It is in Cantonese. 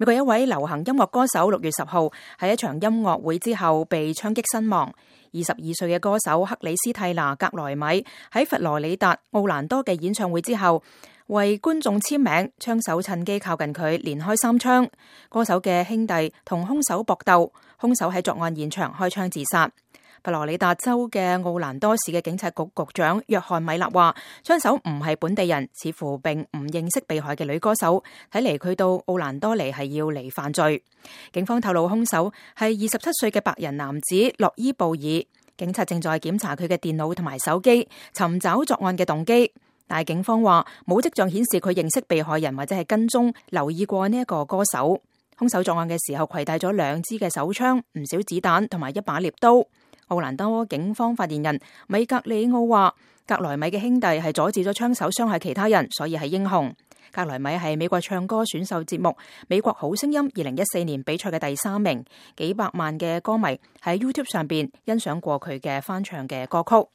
美國一位流行音樂歌手6月10號喺一場音樂會之後被槍擊身亡。22歲嘅歌手克里斯蒂娜·格萊米喺佛羅里達奧蘭多嘅演唱會之後，為觀眾簽名，槍手趁機靠近佢，連開3槍。歌手嘅兄弟同兇手搏鬥，兇手喺作案現場開槍自殺。佛羅里達州嘅奧蘭多市嘅警察局局長約翰米勒話，槍手唔係本地人，似乎並唔認識被害嘅女歌手，睇嚟佢到奧蘭多嚟係要嚟犯罪。警方透露兇手係27歲嘅白人男子洛伊布爾，警察正在檢查佢嘅電腦同埋手機，尋找作案嘅動機。但係警方話冇跡象顯示佢認識被害人或者係跟蹤留意過呢一個歌手。兇手作案嘅時候攜帶咗2支嘅手槍、唔少子彈同埋一把獵刀。奧蘭多警方發言人米格里奧話，格萊米嘅兄弟係阻止咗槍手傷害其他人，所以係英雄。格萊米係美國唱歌選秀節目《美國好聲音》2014年比賽嘅第3名，幾百萬嘅歌迷喺 YouTube 上邊欣賞過佢嘅翻唱嘅歌曲。